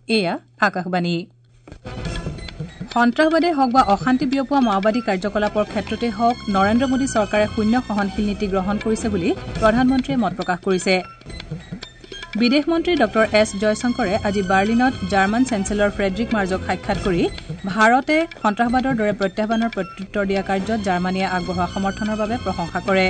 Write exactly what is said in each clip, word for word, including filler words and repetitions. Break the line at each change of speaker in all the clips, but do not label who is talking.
এয়া আকাশবাণী। সন্ত্ৰাসবাদেই হওক বা অশান্তি বিয়পোৱা মাওবাদী কাৰ্যকলাপৰ ক্ষেত্ৰতেই হওক, নৰেন্দ্ৰ মোদী চৰকাৰে শূন্য সহনশীল নীতি গ্ৰহণ কৰিছে বুলি প্ৰধানমন্ত্ৰীয়ে মত প্ৰকাশ কৰিছে। বিদেশ মন্ত্ৰী ডঃ এছ জয়শংকৰে আজি বাৰ্লিনত জাৰ্মান চেঞ্চেলৰ ফ্ৰেডৰিক মাৰ্জক সাক্ষাৎ কৰি ভাৰতে সন্ত্ৰাসবাদৰ দৰে প্ৰত্যাহ্বানৰ প্ৰত্যুত্তৰ দিয়া কাৰ্যত জাৰ্মানীয়ে আগবঢ়োৱা সমৰ্থনৰ বাবে প্ৰশংসা কৰে।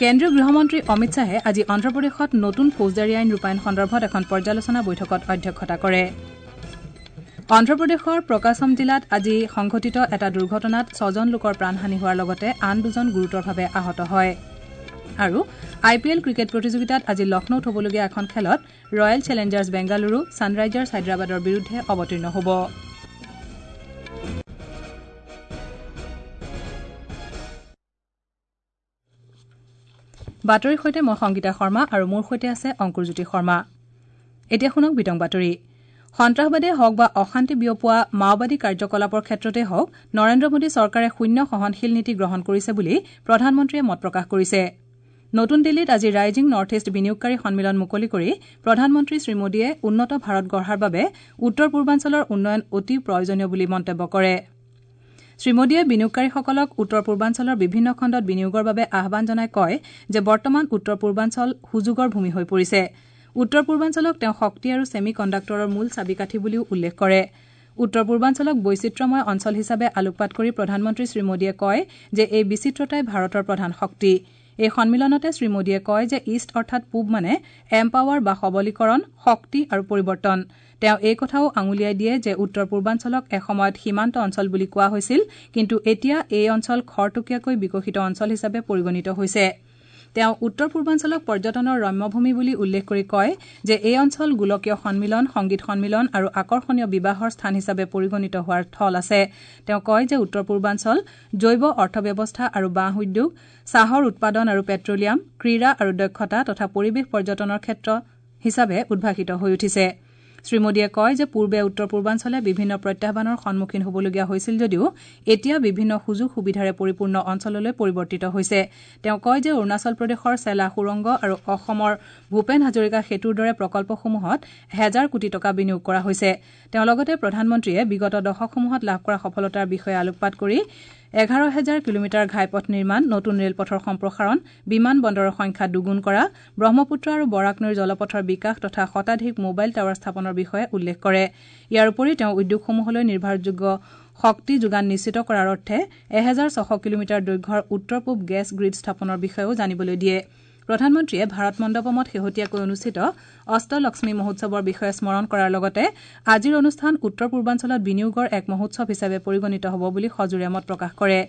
কেন্দ্ৰীয় গৃহমন্ত্ৰী অমিত শ্বাহে আজি অন্ধ্ৰপ্ৰদেশত নতুন ফৌজদাৰী আইন ৰূপায়ণ সন্দৰ্ভত এখন পৰ্যালোচনা বৈঠকত অধ্যক্ষতা কৰে। অন্ধ্ৰপ্ৰদেশৰ প্ৰকাশম জিলাত আজি সংঘটিত এটা দুৰ্ঘটনাত ছজন লোকৰ প্ৰাণহানি হোৱাৰ লগতে আন দুজন গুৰুতৰভাৱে আহত হয়। আৰু আই পি এল ক্ৰিকেট প্ৰতিযোগিতাত আজি লক্ষ্ণৌত হ'বলগীয়া এখন খেলত ৰয়েল চেলেঞ্জাৰ্ছ বেংগালুৰু ছানৰাইজাৰ্ছ হায়দৰাবাদৰ বিৰুদ্ধে অৱতীৰ্ণ হ'ব। বাতৰিৰ সৈতে মই সংগীতা শৰ্মা আৰু মোৰ সৈতে আছে অংকুৰজ্যোতি শৰ্মা। এতিয়া শুনক বিতং বাতৰি। সন্ত্ৰাসবাদেই হওক বা অশান্তি বিয়পোৱা মাওবাদী কাৰ্যকলাপৰ ক্ষেত্ৰতেই হওক, নৰেন্দ্ৰ মোদী চৰকাৰে শূন্য সহনশীল নীতি গ্ৰহণ কৰিছে বুলি প্ৰধানমন্ত্ৰীয়ে মত প্ৰকাশ কৰিছে। নতুন দিল্লীত আজি ৰাইজিং নৰ্থ ইষ্ট বিনিয়োগকাৰী সন্মিলন মুকলি কৰি প্ৰধানমন্ত্ৰী শ্ৰী মোদীয়ে উন্নত ভাৰত গঢ়াৰ বাবে উত্তৰ পূৰ্বাঞ্চলৰ উন্নয়ন অতি প্ৰয়োজনীয় বুলি মন্তব্য কৰে। শ্ৰী মোদীয়ে বিনিয়োগকাৰীসকলক উত্তৰ পূৰ্বাঞ্চলৰ বিভিন্ন খণ্ডত বিনিয়োগৰ বাবে আহ্বান জনাই কয় যে বৰ্তমান উত্তৰ পূৰ্বাঞ্চল সুযোগৰ ভূমি হৈ পৰিছে। উত্তৰ পূৰ্বাঞ্চলক তেওঁ শক্তি আৰু ছেমি কণ্ডাক্টৰৰ মূল চাবিকাঠি বুলিও উল্লেখ কৰে। উত্তৰ পূৰ্বাঞ্চলক বৈচিত্ৰ্যময় অঞ্চল হিচাপে আলোকপাত কৰি প্ৰধানমন্ত্ৰী শ্ৰী মোদীয়ে কয় যে এই বিচিত্ৰতাই ভাৰতৰ প্ৰধান শক্তি। এই সন্মিলনতে শ্ৰী মোদীয়ে কয় যে ইষ্ট অৰ্থাৎ পূব মানে এম্পাৱাৰ বা সবলীকৰণ, শক্তি আৰু পৰিৱৰ্তন। তেওঁ এই কথাও আঙুলিয়াই দিয়ে যে উত্তৰ পূৰ্বাঞ্চলক এসময়ত সীমান্ত অঞ্চল বুলি কোৱা হৈছিল, কিন্তু এতিয়া এই অঞ্চল খৰতকীয়াকৈ বিকশিত অঞ্চল হিচাপে পৰিগণিত হৈছে। তেওঁ উত্তৰ পূৰ্বাঞ্চলক পৰ্যটনৰ ৰম্যভূমি বুলি উল্লেখ কৰি কয় যে এই অঞ্চল গোলকীয় সন্মিলন, সংগীত সন্মিলন আৰু আকৰ্ষণীয় বিবাহৰ স্থান হিচাপে পৰিগণিত হোৱাৰ থল আছে। তেওঁ কয় যে উত্তৰ পূৰ্বাঞ্চল জৈৱ অৰ্থব্যৱস্থা আৰু বাঁহ উদ্যোগ, চাহৰ উৎপাদন আৰু পেট্ৰলিয়াম, ক্ৰীড়া আৰু দক্ষতা তথা পৰিৱেশ পৰ্যটনৰ ক্ষেত্ৰ হিচাপে উদ্ভাসিত হৈ উঠিছে। শ্ৰী মোদীয়ে কয় যে পূৰ্বে উত্তৰ পূৰ্বাঞ্চলে বিভিন্ন প্ৰত্যাহ্বানৰ সন্মুখীন হ'বলগীয়া হৈছিল যদিও এতিয়া বিভিন্ন সুযোগ সুবিধাৰে পৰিপূৰ্ণ অঞ্চললৈ পৰিৱৰ্তিত হৈছে। তেওঁ কয় যে অৰুণাচল প্ৰদেশৰ চেলা সুৰংগ আৰু অসমৰ ভূপেন হাজৰিকা সেতুৰ দৰে প্ৰকল্পসমূহত হেজাৰ কোটি টকা বিনিয়োগ কৰা হৈছে। তেওঁ লগতে প্ৰধানমন্ত্ৰীয়ে বিগত দশকসমূহত লাভ কৰা সফলতাৰ বিষয়ে আলোকপাত কৰি এঘাৰ হেজাৰ কিলোমিটাৰ ঘাইপথ নিৰ্মাণ, নতুন ৰেলপথৰ সম্প্ৰসাৰণ, বিমান বন্দৰৰ সংখ্যা দুগুণ কৰা, ব্ৰহ্মপুত্ৰ আৰু বৰাক নৈৰ জলপথৰ বিকাশ তথা শতাধিক মোবাইল টাৱাৰ স্থাপনৰ বিষয়ে উল্লেখ কৰে। ইয়াৰ উপৰি তেওঁ উদ্যোগসমূহলৈ নিৰ্ভৰযোগ্য শক্তি যোগান নিশ্চিত কৰাৰ অৰ্থে এহেজাৰ ছশ কিলোমিটাৰ দৈৰ্ঘ্যৰ উত্তৰ পূব গেছ গ্ৰীড স্থাপনৰ বিষয়েও জানিবলৈ দিয়ে। প্ৰধানমন্ত্ৰীয়ে ভাৰত মণ্ডপমত শেহতীয়াকৈ অনুষ্ঠিত অষ্টলক্ষ্মী মহোৎসৱৰ বিষয়ে স্মৰণ কৰাৰ লগতে আজিৰ অনুষ্ঠান উত্তৰ পূৰ্বাঞ্চলত বিনিয়োগৰ এক মহোৎসৱ হিচাপে পৰিগণিত হ'ব বুলি সজোৰে মত প্ৰকাশ কৰে।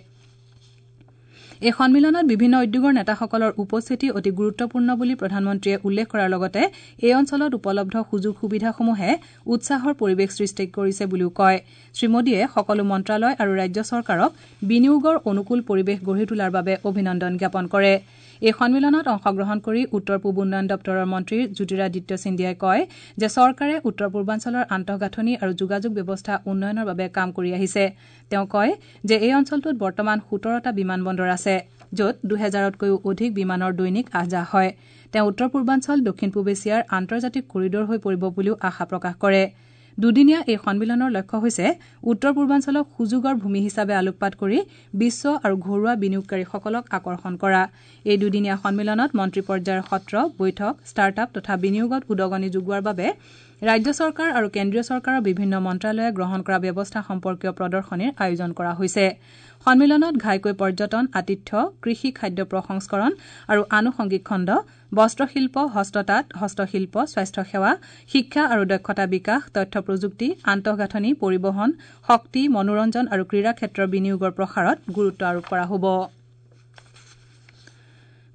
এই সন্মিলনত বিভিন্ন উদ্যোগৰ নেতাসকলৰ উপস্থিতি অতি গুৰুত্বপূৰ্ণ বুলি প্ৰধানমন্ত্ৰীয়ে উল্লেখ কৰাৰ লগতে এই অঞ্চলত উপলব্ধ সুযোগ সুবিধাসমূহে উৎসাহৰ পৰিৱেশ সৃষ্টি কৰিছে বুলিও কয়। শ্ৰী মোদীয়ে সকলো মন্ত্ৰালয় আৰু ৰাজ্য চৰকাৰক বিনিয়োগৰ অনুকূল পৰিৱেশ গঢ়ি তোলাৰ বাবে অভিনন্দন জ্ঞাপন কৰে। এই সন্মিলনত অংশগ্ৰহণ কৰি উত্তৰ পূব উন্নয়ন দপ্তৰৰ মন্ত্ৰী জ্যোতিৰাদিত্য সিন্ধিয়াই কয় যে চৰকাৰে উত্তৰ পূৰ্বাঞ্চলৰ আন্তঃগাঁথনি আৰু যোগাযোগ ব্যৱস্থা উন্নয়নৰ বাবে কাম কৰি আহিছে। তেওঁ কয় যে এই অঞ্চলটোত বৰ্তমান সোতৰটা বিমান বন্দৰ আছে, য'ত দুহেজাৰতকৈও অধিক বিমানৰ দৈনিক আহ যাহ হয়। তেওঁ উত্তৰ পূৰ্বাঞ্চল দক্ষিণ পূব এছিয়াৰ আন্তৰ্জাতিক কৰিডৰ হৈ পৰিব বুলিও আশা প্ৰকাশ কৰে। দুদিনীয়া এই সন্মিলনৰ লক্ষ্য হৈছে উত্তৰ পূৰ্বাঞ্চলক সুযোগৰ ভূমি হিচাপে আলোকপাত কৰি বিশ্ব আৰু ঘৰুৱা বিনিয়োগকাৰীসকলক আকৰ্ষণ কৰা। এই দুদিনীয়া সন্মিলনত মন্ত্ৰী পৰ্যায়ৰ সত্ৰ, বৈঠক, ষ্টাৰ্টআপ তথা বিনিয়োগত উদগনি যোগোৱাৰ বাবে ৰাজ্য চৰকাৰ আৰু কেন্দ্ৰীয় চৰকাৰৰ বিভিন্ন মন্ত্ৰালয়ে গ্ৰহণ কৰা ব্যৱস্থা সম্পৰ্কীয় প্ৰদৰ্শনীৰ আয়োজন কৰা হৈছে। সন্মিলনত ঘাইকৈ পৰ্যটন, আতিথ্য, কৃষি, খাদ্য প্ৰসংস্কৰণ আৰু আনুষংগিক খণ্ড, বস্ত্ৰশিল্প, হস্ততাঁত, হস্তশিল্প, স্বাস্থ্যসেৱা, শিক্ষা আৰু দক্ষতা বিকাশ, তথ্য প্ৰযুক্তি, আন্তঃগাঁথনি, পৰিবহণ, শক্তি, মনোৰঞ্জন আৰু ক্ৰীড়া ক্ষেত্ৰৰ বিনিয়োগৰ প্ৰসাৰত গুৰুত্ব আৰোপ কৰা হ'ব।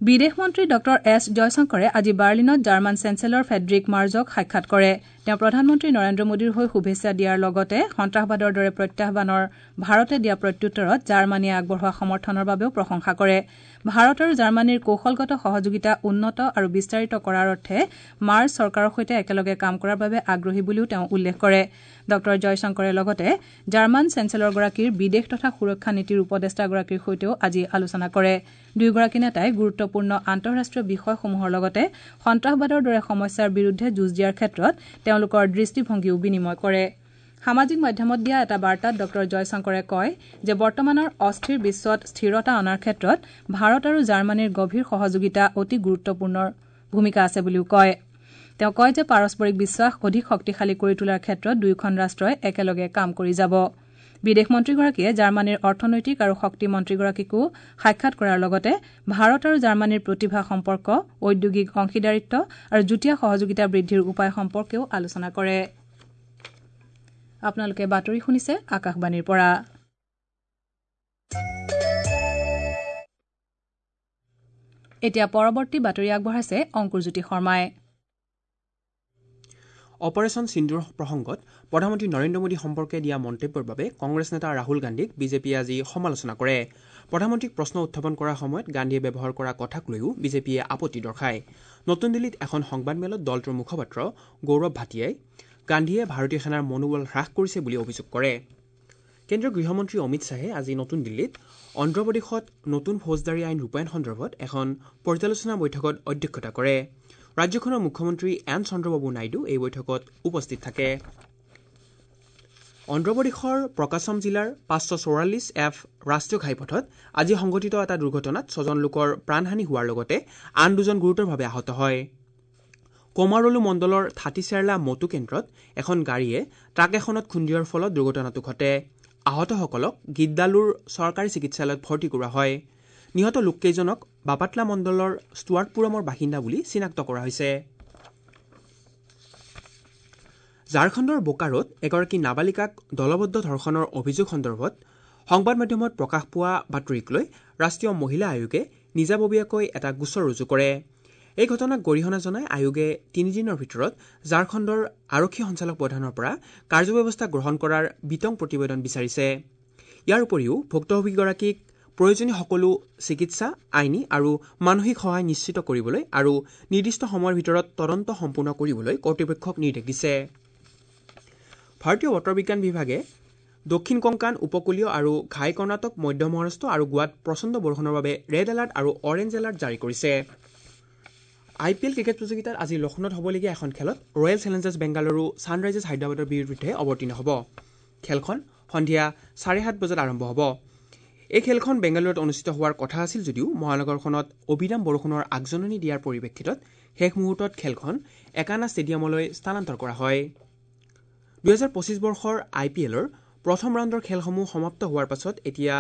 বিদেশ মন্ত্ৰী ডঃ এছ জয়শংকৰে আজি বাৰ্লিনত জাৰ্মান চেঞ্চেলৰ ফেডৰিক মাৰ্জক সাক্ষাৎ কৰে। তেওঁ প্ৰধানমন্ত্ৰী নৰেন্দ্ৰ মোদীৰ হৈ শুভেচ্ছা দিয়াৰ লগতে সন্ত্ৰাসবাদৰ দৰে প্ৰত্যাহ্বানৰ ভাৰতে দিয়া প্ৰত্যুত্তৰত জাৰ্মানীয়ে আগবঢ়োৱা সমৰ্থনৰ বাবেও প্ৰশংসা কৰে। ভাৰত আৰু জাৰ্মানীৰ কৌশলগত সহযোগিতা উন্নত আৰু বিস্তাৰিত কৰাৰ অৰ্থে মাৰ্জ চৰকাৰৰ সৈতে একেলগে কাম কৰাৰ বাবে আগ্ৰহী বুলিও তেওঁ উল্লেখ কৰে। ডঃ জয়শংকৰে লগতে জাৰ্মান চেঞ্চেলৰগৰাকীৰ বিদেশ তথা সুৰক্ষা নীতিৰ উপদেষ্টাগৰাকীৰ সৈতেও আজি আলোচনা কৰে। দুয়োগৰাকী নেতাই গুৰুত্বপূৰ্ণ আন্তঃৰাষ্ট্ৰীয় বিষয়সমূহৰ লগতে সন্ত্ৰাসবাদৰ দৰে সমস্যাৰ বিৰুদ্ধে যুঁজ দিয়াৰ ক্ষেত্ৰত তেওঁলোকৰ দৃষ্টিভংগীও বিনিময় কৰে। সামাজিক মাধ্যমত দিয়া এটা বাৰ্তাত ডঃ জয়শংকৰে কয় যে বৰ্তমানৰ অস্থিৰ বিশ্বত স্থিৰতা অনাৰ ক্ষেত্ৰত ভাৰত আৰু জাৰ্মানীৰ গভীৰ সহযোগিতা অতি গুৰুত্বপূৰ্ণ ভূমিকা আছে বুলিও কয়। তেওঁ কয় যে পাৰস্পৰিক বিশ্বাস অধিক শক্তিশালী কৰি তোলাৰ ক্ষেত্ৰত দুয়োখন ৰাষ্ট্ৰই একেলগে কাম কৰি যাব। বিদেশ মন্ত্ৰীগৰাকীয়ে জাৰ্মানীৰ অৰ্থনৈতিক আৰু শক্তি মন্ত্ৰীগৰাকীকো সাক্ষাৎ কৰাৰ লগতে ভাৰত আৰু জাৰ্মানীৰ প্ৰতিভা সম্পৰ্ক, ঔদ্যোগিক অংশীদাৰিত্ব আৰু যুটীয়া সহযোগিতা বৃদ্ধিৰ উপায় সম্পৰ্কেও আলোচনা কৰে। আপোনালোকে বাতৰি শুনিছে আকাশবাণীৰ পৰা। এতিয়া পৰৱৰ্তী বাতৰি আগবঢ়াইছে অংকুৰজ্যোতি শৰ্মাই।
অপাৰেশ্যন সিন্দুৰ প্ৰসংগত প্ৰধানমন্ত্ৰী নৰেন্দ্ৰ মোদী সম্পৰ্কে দিয়া মন্তব্যৰ বাবে কংগ্ৰেছ নেতা ৰাহুল গান্ধীক বিজেপিয়ে আজি সমালোচনা কৰে। প্ৰধানমন্ত্ৰীক প্ৰশ্ন উত্থাপন কৰাৰ সময়ত গান্ধীয়ে ব্যৱহাৰ কৰা কথাক লৈও বিজেপিয়ে আপত্তি দৰ্শায়। নতুন দিল্লীত এখন সংবাদমেলত দলটোৰ মুখপাত্ৰ গৌৰৱ ভাটিয়াই গান্ধীয়ে ভাৰতীয় সেনাৰ মনোবল হ্ৰাস কৰিছে বুলি অভিযোগ কৰে। কেন্দ্ৰীয় গৃহমন্ত্ৰী অমিত শ্বাহে আজি নতুন দিল্লীত অন্ধ্ৰপ্ৰদেশত নতুন ফৌজদাৰী আইন ৰূপায়ণ সন্দৰ্ভত এখন পৰ্যালোচনা বৈঠকত অধ্যক্ষতা কৰে। ৰাজ্যখনৰ মুখ্যমন্ত্ৰী এন চন্দ্ৰবাবু নাইডু এই বৈঠকত উপস্থিত থাকে। অন্ধ্ৰপ্ৰদেশৰ প্ৰকাশম জিলাৰ পাঁচশ চৌৰাল্লিছ এফ ৰাষ্ট্ৰীয় ঘাইপথত আজি সংঘটিত এটা দুৰ্ঘটনাত ছজন লোকৰ প্ৰাণহানি হোৱাৰ লগতে আন দুজন গুৰুতৰভাৱে আহত হয়। কোমাৰলু মণ্ডলৰ থাটিচেৰলা মটু কেন্দ্ৰত এখন গাড়ীয়ে ট্ৰাক এখনত খুন্দিয়াৰ ফলত দুৰ্ঘটনাটো ঘটে। আহতসকলক গিদ্দালুৰ চৰকাৰী চিকিৎসালয়ত ভৰ্তি কৰোৱা হয়। নিহত লোককেইজনক বাপাটলা মণ্ডলৰ ষ্টুৱাৰ্টপুৰমৰ বাসিন্দা বুলি চিনাক্ত কৰা হৈছে। ঝাৰখণ্ডৰ বোকাৰোত এগৰাকী নাবালিকাক দলবদ্ধ ধৰ্ষণৰ অভিযোগ সন্দৰ্ভত সংবাদ মাধ্যমত প্ৰকাশ পোৱা বাতৰিক লৈ ৰাষ্ট্ৰীয় মহিলা আয়োগে নিজাববীয়াকৈ এটা গোচৰ ৰুজু কৰে। এই ঘটনাক গৰিহণা জনাই আয়োগে তিনিদিনৰ ভিতৰত ঝাৰখণ্ডৰ আৰক্ষী সঞ্চালক প্ৰধানৰ পৰা কাৰ্যব্যৱস্থা গ্ৰহণ কৰাৰ বিতং প্ৰতিবেদন বিচাৰিছে। ইয়াৰ উপৰিও ভুক্তভোগীগৰাকীক প্ৰয়োজনীয় সকলো চিকিৎসা, আইনী আৰু মানসিক সহায় নিশ্চিত কৰিবলৈ আৰু নিৰ্দিষ্ট সময়ৰ ভিতৰত তদন্ত সম্পূৰ্ণ কৰিবলৈ কৰ্তৃপক্ষক নিৰ্দেশ দিছে। ভাৰতীয় বতৰ বিজ্ঞান বিভাগে দক্ষিণ কংকাণ, উপকূলীয় আৰু ঘাই কৰ্ণাটক, মধ্য মহাৰাষ্ট্ৰ আৰু গোৱাত প্ৰচণ্ড বৰষুণৰ বাবে ৰেড এলাৰ্ট আৰু অৰেঞ্জ এলাৰ্ট জাৰি কৰিছে। আই পি এল ক্ৰিকেট প্ৰতিযোগিতাত আজি লক্ষ্ণৌত হ'বলগীয়া এখন খেলত ৰয়েল চেলেঞ্জাৰ্ছ বেংগালুৰু ছানৰাইজাৰ্ছ হায়দৰাবাদৰ বিৰুদ্ধে অৱতীৰ্ণ হ'ব। খেলখন সন্ধিয়া চাৰে সাত বজাত আৰম্ভ হ'ব। এই খেলখন বেংগালুৰুত অনুষ্ঠিত হোৱাৰ কথা আছিল যদিও মহানগৰখনত অবিৰাম বৰষুণৰ আগজাননী দিয়াৰ পৰিপ্ৰেক্ষিতত শেষ মুহূৰ্তত খেলখন একানা ষ্টেডিয়ামলৈ স্থানান্তৰ কৰা হয়। দুহেজাৰ পঁচিছ বৰ্ষৰ আই পি এলৰ প্ৰথম ৰাউণ্ডৰ খেলসমূহ সমাপ্ত হোৱাৰ পাছত এতিয়া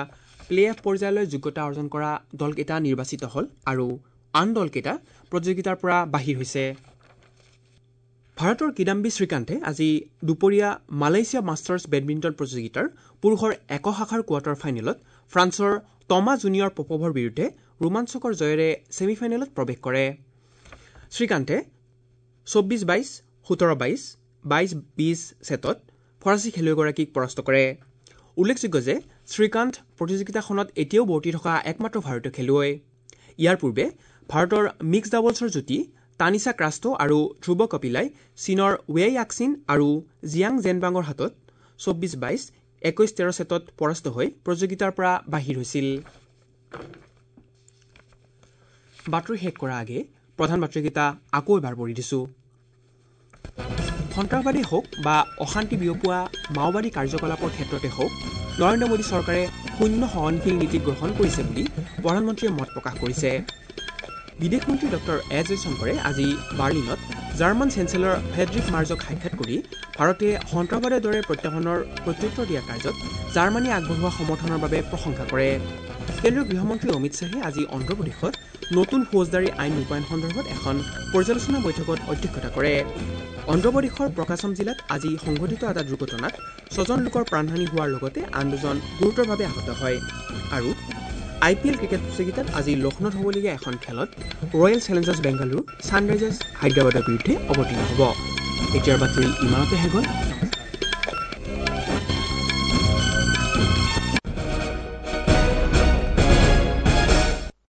প্লে অফ পৰ্যায়লৈ যোগ্যতা অৰ্জন কৰা দলকেইটা নিৰ্বাচিত হ'ল আৰু আন দলকেইটা প্ৰতিযোগিতাৰ পৰা বাহিৰ হৈছে। ভাৰতৰ কিদাম্বি শ্ৰীকান্তে আজি দুপৰীয়া মালয়েছিয়া মাষ্টাৰ্ছ বেডমিণ্টন প্ৰতিযোগিতাৰ পুৰুষৰ এক শাখাৰ কোৱাৰ্টাৰ ফাইনেলত ফ্ৰান্সৰ টমা জুনিয়ৰ পপভৰ বিৰুদ্ধে ৰোমাঞ্চকৰ জয়েৰে ছেমি ফাইনেলত প্ৰৱেশ কৰে। শ্ৰীকান্তে চৌব্বিছ বাইছ, সোতৰ বাইছ, বাইছ বিছ ছেটত ফৰাচী খেলুৱৈগৰাকীক পৰাস্ত কৰে। উল্লেখযোগ্য যে শ্ৰীকান্ত প্ৰতিযোগিতাখনত এতিয়াও বৰ্তি থকা একমাত্ৰ ভাৰতীয় খেলুৱৈ। ইয়াৰ পূৰ্বে ভাৰতৰ মিক্স ডাবলছৰ যুটি তানিছা ক্ৰাষ্টো আৰু ধ্ৰুৱ কপিলাই চীনৰ ৱেই য়াক্সিন আৰু জিয়াং জেনবাঙৰ হাতত চৌব্বিছ বাইছ, একৈছ তেৰ ছেটত পৰাস্ত হৈ প্ৰতিযোগিতাৰ পৰা বাহিৰ হৈছিল। বাতৰি শেষ কৰাৰ আগে প্ৰধান বাতৰিকেইটা আকৌ এবাৰ পঢ়ি দিছোঁ। সন্ত্ৰাসবাদী হওক বা অশান্তি বিয়পোৱা মাওবাদী কাৰ্যকলাপৰ ক্ষেত্ৰতে হওক, নৰেন্দ্ৰ মোদী চৰকাৰে শূন্য সহনশীল নীতি গ্ৰহণ কৰিছে বুলি প্ৰধানমন্ত্ৰীয়ে মত প্ৰকাশ কৰিছে। বিদেশ মন্ত্ৰী ডক্টৰ এছ জয়শংকৰে আজি বাৰ্লিনত জাৰ্মান চেঞ্চেলৰ ফ্ৰেডৰিক মাৰ্জক সাক্ষাৎ কৰি ভাৰতে সন্ত্ৰাসবাদৰ দৰে প্ৰত্যাহ্বানৰ প্ৰত্যুত্তৰ দিয়া কাৰ্যত জাৰ্মানীয়ে আগবঢ়োৱা সমৰ্থনৰ বাবে প্ৰশংসা কৰে। কেন্দ্ৰীয় গৃহমন্ত্ৰী অমিত শ্বাহে আজি অন্ধ্ৰপ্ৰদেশত নতুন ফৌজদাৰী আইন ৰূপায়ণ সন্দৰ্ভত এখন পৰ্যালোচনা বৈঠকত অধ্যক্ষতা কৰে। অন্ধ্ৰপ্ৰদেশৰ প্ৰকাশম জিলাত আজি সংঘটিত এটা দুৰ্ঘটনাত ছজন লোকৰ প্ৰাণহানি হোৱাৰ লগতে আন দুজন গুৰুতৰভাৱে আহত হয়। আৰু আই পি এল ক্ৰিকেট প্ৰতিযোগিতাত আজি লক্ষ্ণৌত হ'বলগীয়া এখন খেলত ৰয়েল চেলেঞ্জাৰ্ছ বেংগালুৰু ছানৰাইজাৰ্ছ হায়দৰাবাদৰ বিৰুদ্ধে অৱতীৰ্ণ হ'ব। এতিয়াৰ বাতৰি ইমানতে শেষ হ'ল।